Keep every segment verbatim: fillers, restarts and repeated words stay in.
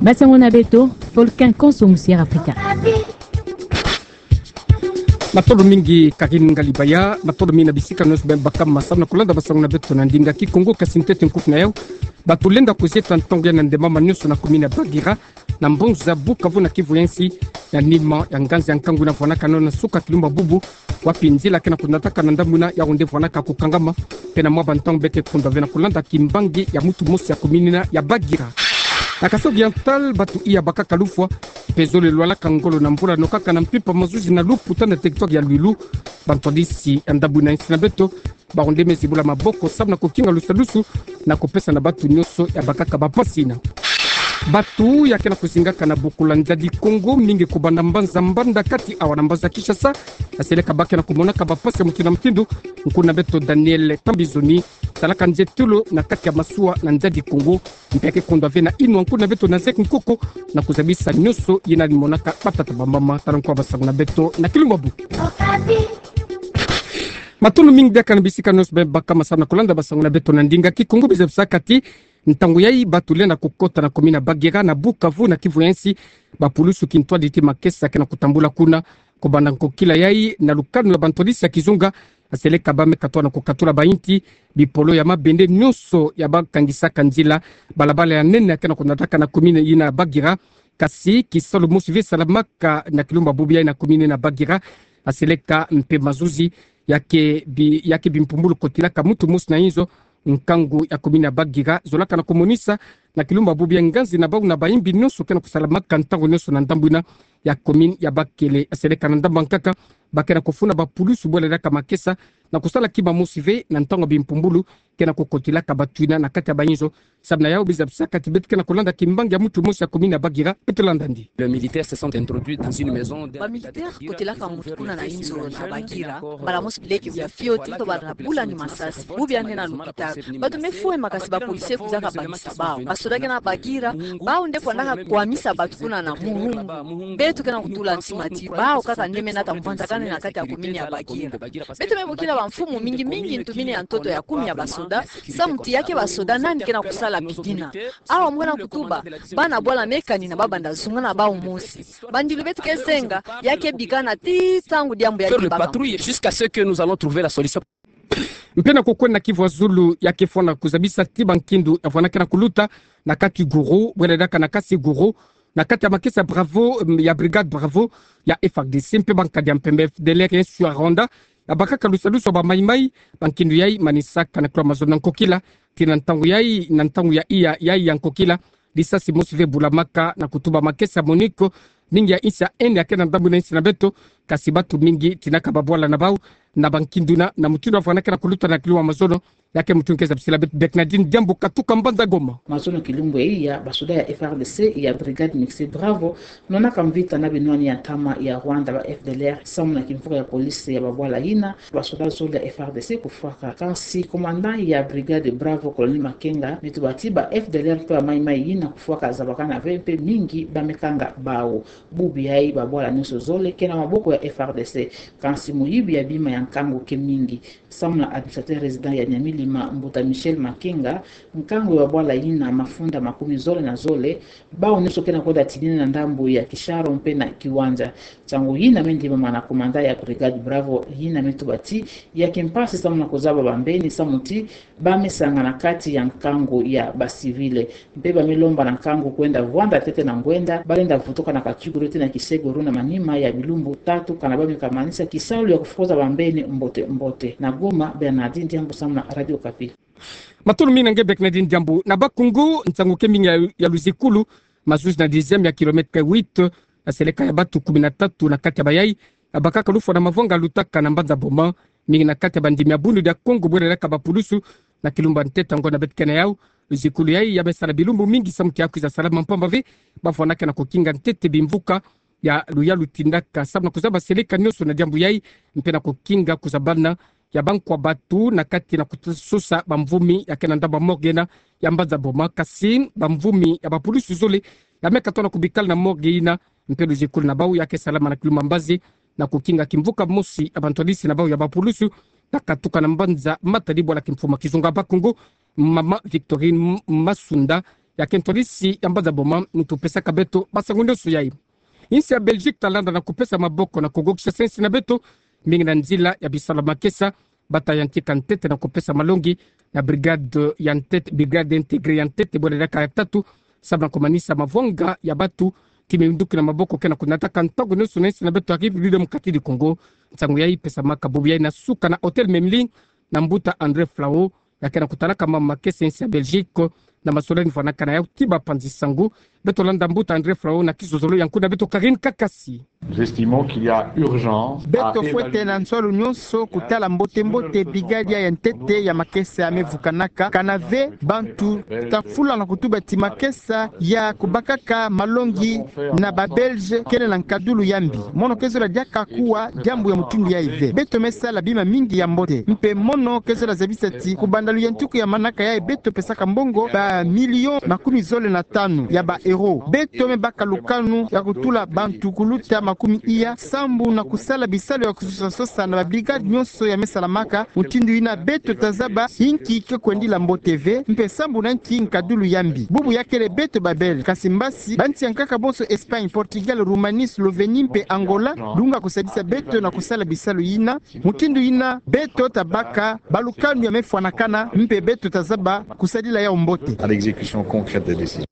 Basango na beto, Volcan Konso Musière Africa. Matondo mingi Karine Ngalibaya, matondo mingi na bisika nyonso beno baka ma samu na kolanda basango na beto na ndinga Kikongo. Kasi ntete nkufi na yau, bato lenda kuzieta ntangu ya na ndemama nyonso na commune ya Bagira, na mbanza Bukavu na Kivu ya nsi, ya nima ya nganzi ya nkangu ina vwanaka nona suka Kilumba Bubu, wapi nzila ke na kunataka na ndambu ina ya onde vwanaka kukangama. Pena mwa bantangu beke kundwa ve na kolanda kimbangi ya mutu mosi ya commune ina ya Bagira. Na Kasai Oriental, bato iya bakaka lufwa, mpe zole lwalaka ngolo na mbula no kaka na mpimpa mazuzi na Luputa na territoire ya Luilu. Bantwadisi ya ndambu ina ya nsi na beto, baronde me zibula maboko samu na kukinga lusadusu na kupesa na bato nyonso ya bakaka bampasi ina. Bato ya ke na kuzingaka na bokula nzadi Kongo, mingi kubanda mbanza Mbanda kati awa na mbanza Kinshasa, aseleka ba ke na kumonaka bampasi ya mutindu na mutindu. Nkuna beto Daniel Tambizoni, talaka nzietolo na kati ya masuwa na nzadi Kongo, mpe ke kundwa ve na inwa nkuna beto Nazek Nkoko na kuzabisa nyonso yina monaka batata bamama. Tala nkwa basango na beto na Kilumba Bubu. Matondo mingi diaka na bisika nyonso beno baka ma samu na kolanda basango na beto na ndinga Kikongo. Bizabisa kati, ntangu yai bato lenda kukota na commune ya Bagira na Bukavu na Kivu ya nsi, bapulusu kintwadi ti makesa ke na kutambula kuna. Kubanda nkokila yai na lukanu ya bantwadisi ya kizunga, aseleka ba me katwa na kukatula bainti, bipolo ya mabende nyonso ya bakangisaka nzila, balabala ya nene ya ke na kunataka na commune yina Bagira. Kasi kisalu mosi ve salamaka na Kilumba Bubu yai na commune na Bagira, aseleka mpe mazuzi ya ke bi-, ya ke bimpumbulu kotilaka mutu mosi na inzo. Nkangu ya commune ya Bagira zolaka na kumonisa na Kilumba Bubu yai nganzi na bau na bayimbi nyonso ke na kusalamaka ntangu nyonso na ndambu ina ya commune ya bakele, aseleka na ndambu nkaka ba ke na kufunda bapulusu bwela diaka makesa na kusala kima mosi ve na ntangu ya bimpumbulu ke na kukotilaka bato ina na kati ya bainzo. Samu na yau bizabisa kati beto ke na kolanda kimbangi ya mutu mosi ya commune ya Bagira. Beto landa ndi. Les militaires se sont introduits dans une maison. Bamilitaire kotilaka mutu kuna na inzo na Bagira. Mbala mosi bileke bia fioti to bala na bula ni masasi. Bubu ya nde na lupitalu. Bato me fwe makasi, bapolisier kuzaka bangisa bau. Basoda ke na Bagira, bau nde fwanaka kwamisa bato kuna na Muhungu. Beto ke na kutula ntima ti bau kaka nde me nata mvwanzakane na kati ya commune ya Bagira. Beto me bokila bamfumu mingi mingi ntumini ya ntoto ya kumi ya basoda, samu ti ya ke basoda nani ke na kusala midina. Awa mwana kutuba, bana bwala mekani na babanda zunga na bau mosi. Bandilu beto ke zenga, ya ke bikana ti ntangu diambu ya ke baka. Faire le patrouille jusqu'à ce que nous allons trouver la solution. Mpe na kokwenda na Kivu ya zulu, ya ke fwana kuzabisa ti bankindu ya vwana ke na kuluta na kati Guru, bwela diaka na kati Guru, na kati ya makesa Bravo, mm, ya Brigade Bravo ya F R D C, mpe bankadi ya mpembe F D L R ya nsi ya Rwanda, ya bakaka lusalusu ya ba Mai Mai. Bankindu yai manisaka na kilo ya mazono na nkokila, ti na ntangu yai, na ntangu ya iya, yai ya nkokila, lisasi mosi ve bulamaka na kutuba makesa MONUC, mingi ya insi ya haine ya ke na ndambu ina ya insi na beto, kasi bato mingi tinaka babwala na bau na bankindu na, na mutindu ya vwana ke na kuluta na kilo ya mazono. Ya ke mutu nge zabisila beto Bernardine Diambu katuka mbanza Goma. Mazono kilumbu ya iya, basoda ya F R D C ya Brigade Mixte Bravo nonaka mvita na binwani ya ntama ya Rwanda, ba F D L R, samu na kimvuka ya police ya babwala yina, basoda zole ya F R D C kufwaka. Kansi commandant ya Brigade Bravo, Colonel Makenga, me tuba ti ba F D L R mpe ba Mai Mai yina kufwaka zabakana ve mpe mingi ba me kanga bau. Bubu yai babwala nyonso zole ke na maboko ya F R D C. Kansi moyibi ya bima ya nkangu ke mingi. Samu na administrateur résident ya Nyamilima, Mbuta Michel Makenga, nkangu ya babwala yina mafunda makumi zole na zole, bau nyonso ke na kwenda tinina na ndambu ya Kisharo mpe na Kiwanja. Nsangu yina me ndimama na commandant ya Brigade Bravo, yina me tuba ti ya ke mpasi samu na kuzaba bambeni, samu ti ba me sangana kati ya nkangu ya ba civil. Mpe ba me lomba na nkangu kwenda vwanda ntete na ngwenda, ba lenda vutuka na kachukulu ti na kiseguru na manima ya bilumbu tatu, kana ba me kamanisa kisalu ya kufukoza bambeni mbote mbote. Na Goma, Bernardine Diambu samu na Radio Okapi. Matondo mingi na nge Bernardine Diambu. Na Bas-Congo, nsangu ke mingi ya, ya luzikulu, mazuzi na dixième ya kilomètre huit, na seleka ya bato kumi na tatu na kati ya bayai, ya bakaka lufwa na mavanga lutaka na mbanza Boma, mingi na kati ya bandimi ya Bundu dia Kongo bwela diaka bapulusu na kilumbu ya ntete ya ngo na beto ke na yau. Luzikulu yai ya me sala bilumbu mingi samu ti ya kwiza salama mpamba ve, ba vwandaka na kukinga ntete bimvuka ya luyalu tindaka samu na kuzaba seleka nyonso na diambu yai, mpe na kukinga kuzabana ya bankwa bato na kati na kusosa bamvumi ya ke na ndambu ya morgue na ya mbanza Boma, kasi bamvumi ya bapulusu zole ya me katoa na kubikala na morgue yina, mpe luzikulu na bau ya ke salama na kilumbu ya mbazi, na kukinga kimvuka mosi ya bantwadisi na bau ya bapulusu na katuka na mbanza Matadi bwala kimfumu ya kizunga ya Bas-Congo, mama Victorine M-, Masunda, ya ke ntwarisi ya mbanza boma, muntu pesaka beto basangu nionso yai. Insi ya Belgique ta landa na kupesa maboko na kugokisa sensi na beto, mingi na nzila ya bisalu ya makesa, bata yantika ntete na kupesa malongi na brigade ya ntete, brigade intégrée ya ntete, bole diaka ya tatu, sababu na kumanisa mavwanga ya batu, ki minduki na maboko ke na kunataka ntangu nionso na insi na beto ya République Démocratique du Congo. Nsangu yai pesamaka bubu yai na suka na Hôtel Memling, na mbuta André Flau, ya ke na kutalaka mambu makesa insi ya Belgique, na masolani mvwanakana yau ti bapanzi sangu. Beto landa mbuta André Flau na kizozolo ya nkuna beto Karine Kakasi. Nous estimons qu'il y a urgence à évaluer. Beto fwete na nswalu nionso kutala mbote-mbote brigade ya ntete ya makesa ya me vukanaka, kana ve bantu ta fula na kutuba ti makesa ya kubakaka malongi na ba Belge kele na nkadulu ya mbi. Mono ke zola diaka kuwa diambu ya mutindu yai ve. Beto me sala bima mingi ya mbote. Mpe mono ke zola zabisa ti kubanda luyantiku ya manaka yai beto pesaka mbongo ba million makumi zole na tanu ya ba euro. Beto me baka lukanu ya kutula bantu kuluta makumi iya sambu na kusala bisalu ya kusosa-sosa na ba brigade nionso ya me salamaka. Mutindu yina beto ta zaba inki ke kwendila mbote ve, mpe sambu na inki nkadulu ya mbi. Bubu ya kele beto ba Belge, kasi mbasi bansi ya nkaka bonso, Espagne, Portugal, Roumanie, Slovénie mpe Angola, dunga kusadisa beto na kusala bisalu yina. Mutindu yina beto ta baka balukanu ya me fwanakana, mpe beto ta zaba kusadila yau mbote. À l'exécution concrète des décisions.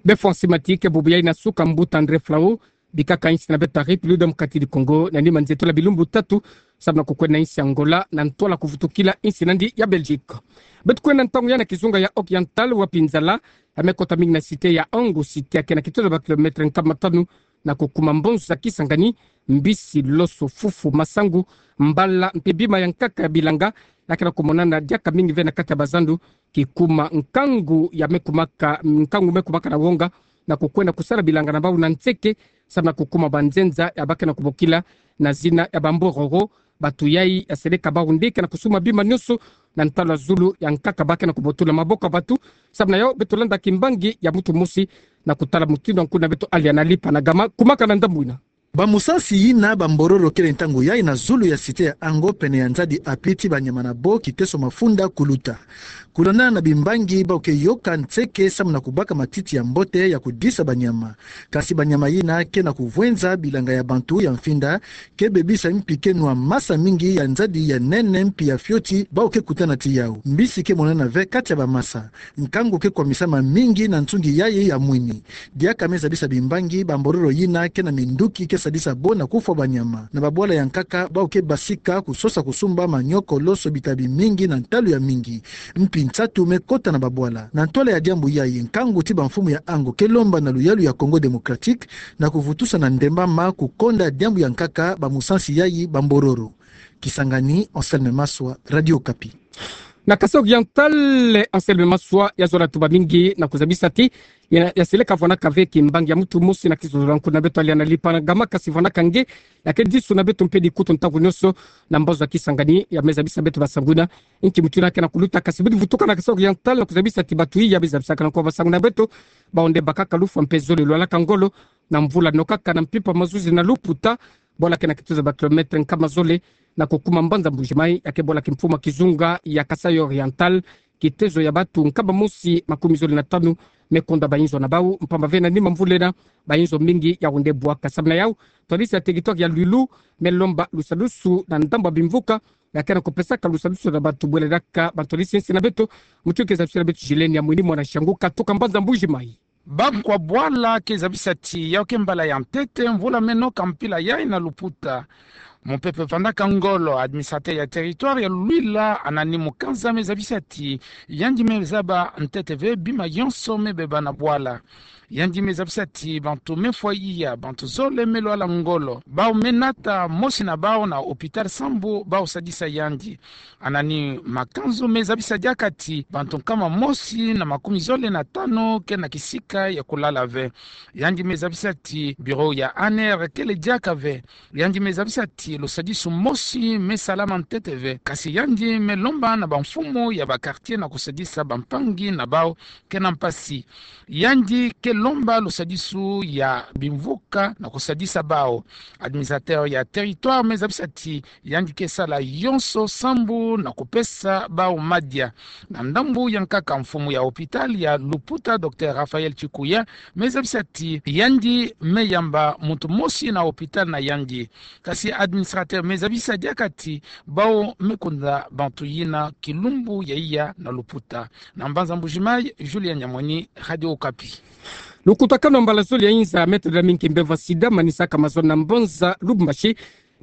Be fwa nsi mati ke bubu yai na suka mbuta André Flau, bikaka insi na beto ya République Démocratique du Congo na nima nzietolo ya bilumbu tatu, sababu na kukwenda insi Angola na ntwala kuvutukila insi nandi ya Belgique. Beto kwenda ntangu yai na kizunga ya Oriental, wapi nzala ya me kota mingi na cité ya Ango, cité ya ke na kitoto ya ba kilomètre nkama tanu na kukuma mbonso za Kisangani, mbisi, loso, fufu, masangu, mbala, mpe bima ya nkaka ya bilanga, ya ke na kumonana diaka mingi ve na kati ya bazandu, kikuma nkangu ya me kumaka, nkangu me kumaka na wonga, na kukwenda kusala bilanga na bau na nseke, sababu na kukuma banzenza ya ba ke na kubokila na zina ya ba mbororo. Batu yai ya seleka bau nde ke na kusumba bima nionso na ntalu ya zulu ya nkaka ba ke na kubotula maboko ya batu. Sababu na yau beto landa kimbangi ya muntu mosi na kutala mutindu nkuna beto Aliana Lipa na Gama kumaka na ndambu yina. Bamusansi yina ba mbororo kele ntangu yai na zulu ya cité ya Ango pene ya nzadi api ti banyama na bo kiteso mafunda kuluta. Kulandana na bimbangi, bau ke yoka nseke sababu na kubaka matiti ya mbote ya kudisa banyama. Kasi banyama yina ke na kuvwenza bilanga ya bantu ya mfinda, ke bebisa mpi ke nwa masa mingi ya nzadi ya nene mpi ya fioti bau ke kutana ti yau. Mbisi ke monana ve kati ya bamasa. Nkangu ke kwamisama mingi na nsungi yai ya mwini. Diaka me zabisa bimbangi, ba mbororo yina ke na minduki ke sadisa bo na kufwa banyama. Na babwala ya nkaka, bau ke basika kusosa kusumba manioko, loso, bitabi mingi na ntalu ya mingi. Mpi nsatu me kota na babwala. Na ntwala ya diambu yai, nkangu ti bamfumu ya Ango ke lomba na luyalu ya Congo Démocratique na kuvutusa na ndembama kukonda diambu ya nkaka bamusansi yai ba mbororo. Kisangani, Anselme Maswa, Radio Okapi. Na Kasaï Oriental, Anselme Maswa, ya zola tuba mingi na kuzabisa ti ya, ya seleka vwanaka ve kimbangi ya muntu mosi na kizozolo ya nkuna beto Aliana Lipa na Gama, kasi vwanaka nge ya ke disu na beto mpe dikutu ntangu nionso na mbazu ya Kisangani, ya me zabisa beto basangu yina inki mutindu yina ke na kuluta. Kasi budi vutuka na Kasaï Oriental na kuzabisa ti batu yai ya me zabisaka na nko basangu na beto, bau nde bakaka lufwa mpe zole lwalaka ngolo na mvula, nokaka na mpimpa mazuzi na Luputa, bwala ke na kitoto ya ba kilomètre nkama zole na kukuma mbanza Mbuji-Mayi, ya ke bwala kimfumu ya kizunga ya Kasaï Oriental. Kitezo ya batu nkama mosi makumi zole na tanu me konda bayinzo na bau, mpamba ve na nima mvula yina bayinzo mingi yau nde bwaka. Sababu na yau, ntwadisi ya territoire ya Luilu me lomba lusadusu na ndambu ya bimvuka, ya ke na kupesaka lusadusu na batu bwele diaka bantwadisi ya nsi na beto. Muntu ke zabisila beto Gilene ya Mwini mwana Shangu katuka mbanza Mbuji-Mayi. Bakwa bwala ke zabisa ti yau ke mbala ya ntete mvula me noka mpila yai na Luputa. Mupepe vandaka ngolo. Administrateur ya territoire ya Luila, Anani Mukanza, me zabisa ti yandi me zaba ntete ve bima yonso me beba na bwala. Yandi me zabisa ti bantu me fwa iya, bantu zole me lwala ngolo. Bau me nata mosi na bau na hôpital sambu bau sadisa yandi. Anani Makanzu me zabisa diaka ti bantu nkama mosi na makumi zole na tanu ke na kisika ya kulala ve. Yandi me zabisa ti bureau ya A N R kele diaka ve. Yandi me zabisa ti lusadisu mosi me salama ntete ve, kasi yandi me lomba na bamfumu ya ba quartier na kusadisa bampangi na bau ke na mpasi. Yandi ke lomba lusadisu ya bimvuka na kusadisa bau. Administrateur ya territoire me zabisa ti yandi ke sala yonso sambu na kupesa bau madia. Na ndambu ya nkaka, mfumu ya hôpital ya Luputa, Docteur Raphaël Tchikuya, me zabisa ti yandi me yamba muntu mosi na hôpital na yandi. Kasi administrateur me zabisa diaka ti bau me kunda bantu yina kilumbu ya iya na Luputa. Na mbanza Mbuji-Mayi, Julien Nyamweni, Radio Okapi. Lukutakanu mbala zole ya inza ya metadala mingi mbevo ya sida manisaka mazono na mbanza Lubumbashi.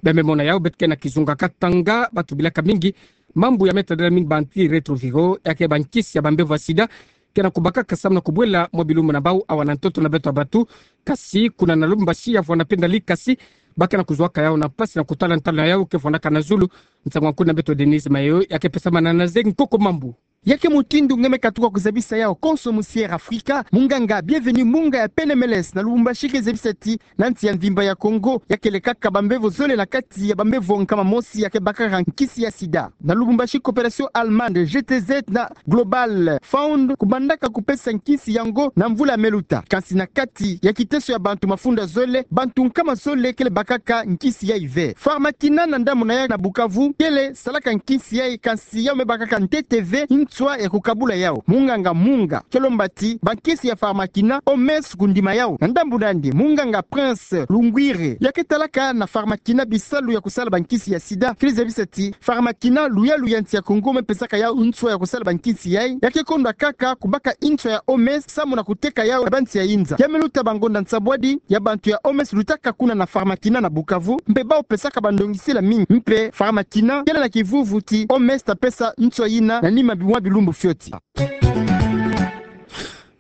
Bia me mona yau, beto ke na kizunga Katanga, bantu bilaka mingi mambu ya metadala mingi ba antirétroviraux, ya ke bankisi ya bambevo ya sida, ke na kubakaka samu na kubwela mwa bilumbu na bau awa na ntoto na beto ya bantu. Kasi kuna na Lubumbashi, ya vwanda mpe ndali, kasi ba ke na kuzwaka yau na mpasi na kutala ntalu na yau ke vwandaka na zulu. Nsangu ya nkuna beto Denise Mayo, ya ke pesamana na Zeki Nkoko Mambu. Ya ke mutindu nge me katuka kuzabisa yau konso mu Sièra Afrika, munganga Bienvenu Munga ya P N M L S na Lubumbashi ke zabisa ti na nsi ya mvimba ya Congo, ya kele kaka bambevo zole na kati ya bambevo nkama mosi ya ke bakaka nkisi ya sida. Na Lubumbashi, Coopération Allemande, G T Z na Global Fund kubandaka kupesa nkisi yango na mvula ya me luta. Kansi na kati ya kiteso ya bantu mafunda zole, bantu nkama zole kele bakaka nkisi yayi ve. Pharmakina na ndambu na ya na Bukavu kele salaka nkisi yayi, kansi yau me bakaka ntete ve nswa ya kukabula yau. Munganga Munga ke lomba ti bankisi ya Pharmakina, O M S kundima yau. Na ndambu na yandi, munganga Prince Lungwire, ya ke talaka na Pharmakina bisalu ya kusala bankisi ya sida, kele zabisa ti Pharmakina, luyalu ya nsi ya Congo, me pesaka yau nswa ya kusala bankisi yayi, ya ke kondwa kaka kubaka nswa ya O M S samu na kuteka yau na bansi ya inza. Ya me luta bangonda nsambwadi ya bantu ya O M S lutaka kuna na Pharmakina na Bukavu, mpe bau pesaka bandongisila mingi. Mpe Pharmakina kele na kivuvu ti O M S ta pesa nswa yina na nima bi-, mwa bilumbu fioti.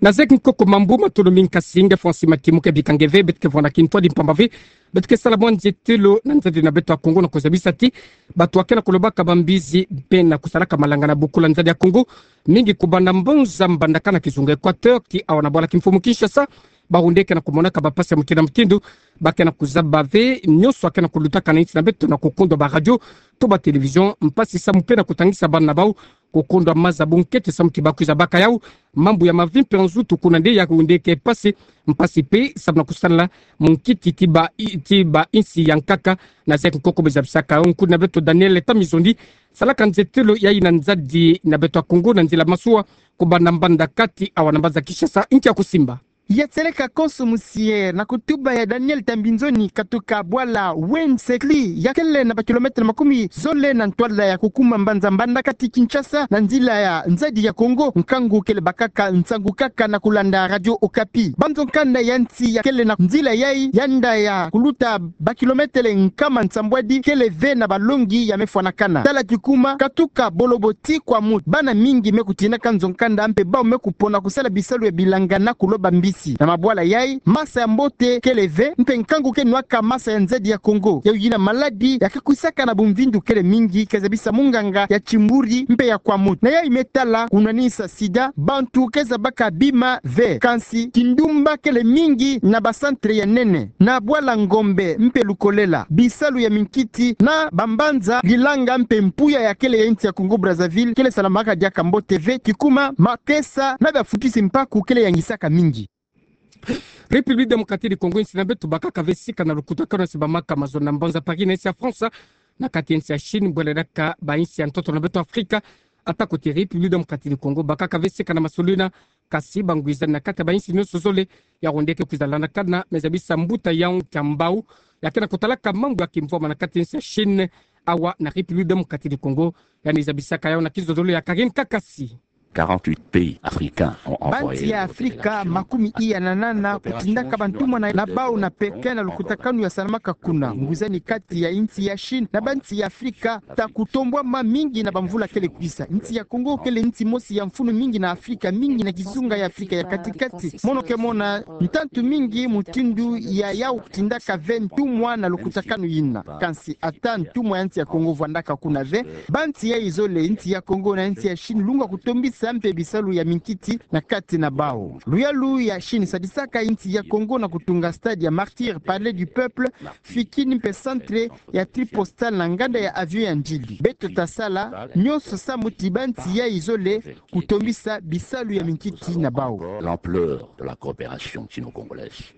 Na Zeki Nkoko Mambu, matondo mingi, kasi nge Francis Matimu ke bika nge ve. Beto ke vwanda kintwadi mpamba ve, beto ke sala mwa nzietelo na nzadi na beto ya Congo na kuzabisa ti bantu ya ke na kulobaka bambizi mpe na kusalaka malanga na bokula nzadi ya Congo, mingi kubanda mbanza Mbandaka na kizunga Équateur ti awa na bwala kimfumu Kinshasa, ba hunde ke na kumonaka bampasi ya mutindu na mutindu. Ba ke na kuzaba ve nyonso ya ke na kulutaka na insi na beto na kukundwa ba radio to ba télévision, mpasi samu mpe na kutangisa bana na bau kukundwa maza bunkete samu ti ba kwiza baka yau. Mambu ya mavi mpe ya nzutu kuna nde ya hunde ke mpasi, mpasi mpe samu na kusala munkiti ti ba i-, ti ba insi ya nkaka. Na Zeki Nkoko, me zabisaka yau nkuna beto Daniel Tamizondi, salaka nzietelo yayi na nzadi na beto ya Congo na nzila masuwa kubanda Mbandaka ti awa na mbanza Kinshasa, nki ya kusimba. Ya seleka konso mu Sièra na kutuba ya Daniel Tambinzoni, katuka bwala Wensekli, ya kele na ba kilomètre makumi zole na ntwala ya kukuma mbanza Mbandaka ti Kinshasa na nzila ya nzadi ya Congo. Nkangu kele bakaka nsangu kaka na kulanda Radio Okapi. Banzo nkanda ya nsi ya kele na nzila yayi, yanda ya kuluta ba kilomètre nkama nsambwadi, kele ve na balongi ya me fwanakana. Tala kikuma, katuka Bolobo ti Kwamouth, bana mingi me kutindaka nzo nkanda mpe bau me kupona kusala bisalu ya bilanga na kuloba mbisi. Na mabwala yayi, masa ya mbote kele ve, mpe nkangu ke nwaka masa ya nzadi ya Congo. Yayi yina maladi ya ke kwisaka na bumvindu kele mingi, ke zabisa munganga ya Kimbury mpe ya Kwamouth. Na yayi me tala kunwanisa sida, bantu ke zabaka bima ve, kansi kindumba kele mingi na ba centre ya nene. Na bwala Ngombe mpe Lukolela, bisalu ya minkiti na bambanza Lilanga mpe Mpuya ya kele ya insi ya Congo Brazzaville kele salamaka diaka mbote ve, kikuma makesa na bia futisi mpaku kele yangisaka mingi. République Démocratique du Congo, insi na beto bakaka ve sika na lukutakanu ya se bamaka mazono na mbanza Paris na insi ya France, na kati ya insi ya Chine, bwela daka ba insi ya ntoto na beto Afrika. Ata kote République Démocratique du Congo, bakaka ve sika na masolina, kasi bangwizani na kati ya ba insi nyonso zole, ya hunde ke kwiza landakana, me zabisa mbuta yau kia mbau ya ke na kutalaka mambu ya kimvwama na kati ya insi ya Chine awa na République Démocratique du Congo. Yandi zabisaka yau na kizololo ya Karine Kakasi. Quarante-huit pays africains ont envoyé des délégations à Pékin. Bansi ya Afrika makumi iya na nana kutindaka bantumwa na, na bau na Pékin na lukutakanu ya salamaka kuna. Ngwizani kati ya insi ya Chine na bansi ya Afrika ta kutombwama mingi na bamvula kele kwisa. Insi ya Congo kele insi mosi ya mfunu mingi na Afrika, mingi na kizunga ya Afrika ya kati-kati. Mono ke mona ntantu mingi mutindu ya yau kutindaka ve ntumwa na lukutakanu yina. Kansi ata ntumwa ya insi ya Congo vwandaka kuna ve, bansi yayi zole, insi ya Congo na insi ya Chine, lungwa kutombisa mpe bisalu ya minkiti na kati na bau. Luyalu ya Chine sadisaka insi ya Congo na kutunga stade ya Martyrs, Palais du Peuple, fikini mpe centre ya tri postal na nganda ya avion ya ndili. Beto tasala nyonso sambu ti bansi yai zole kutombisa bisalu ya minkiti na bau. L'ampleur de la coopération sino-congolaise.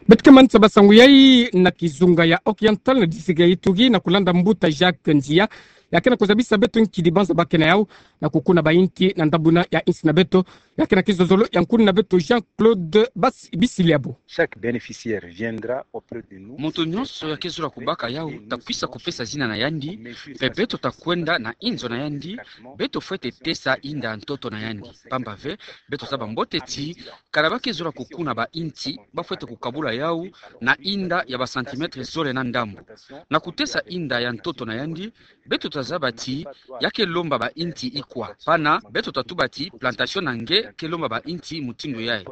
Beto ke manisa basangu yai na kizunga ya Oriental na district ya Ituri na kulanda mbuta Jacques Nzia, ya ke na kuzabisa beto nkidi banza ba ke na yau na kukuna bainti na ndabuna ya insi na beto. Ya ke na kizozolo ya nkuni na beto Jean-Claude Bas-, Bisiliabo. Chaque bénéficiaire viendra auprès de nous. Moto nyonso ya ke zola kubaka yau, takwisa kupesa zina na yandi, mpe beto takwenda na inzo na yandi. Beto fwete tesa inda ya ntoto na yandi. Pamba ve, beto zaba mbote ti, kana ba ke zola kukuna bainti, ba fwete kukabula yau na inda ya ba centimètres zole na ndambu. Na kutesa inda ya ntoto na yandi, beto tazaba ti ya ke lomba bainti ikwa. Pana, beto tatuba ti plantation na nge ke lomba bainti mutindu yai.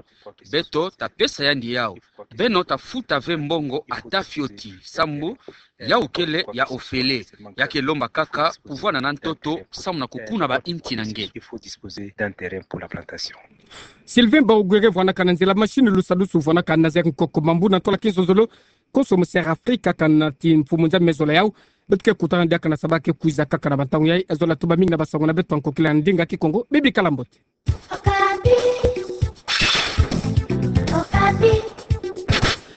Beto tapesa yandi yau. Beno tafuta ve mbongo ata fioti, sambu yau kele ya ofele. Ya ke lomba kaka kuvwanda na ntoto, sambu na kukuna bainti na nge. Sylvain Baugwere vwanaka na nzila machine lusadusu vwanaka na Nazaire Nkoko Mambu na ntwala kizozolo. Konso mu Sierra Afrika kana ti mfumu nza me zola yau. Beto ke kutana diaka na saba ke kwiza kaka na bantangu yai. Zola tuba mingi na basangu na beto ya nkokila na ndinga Kikongo. Bibi kala mbote.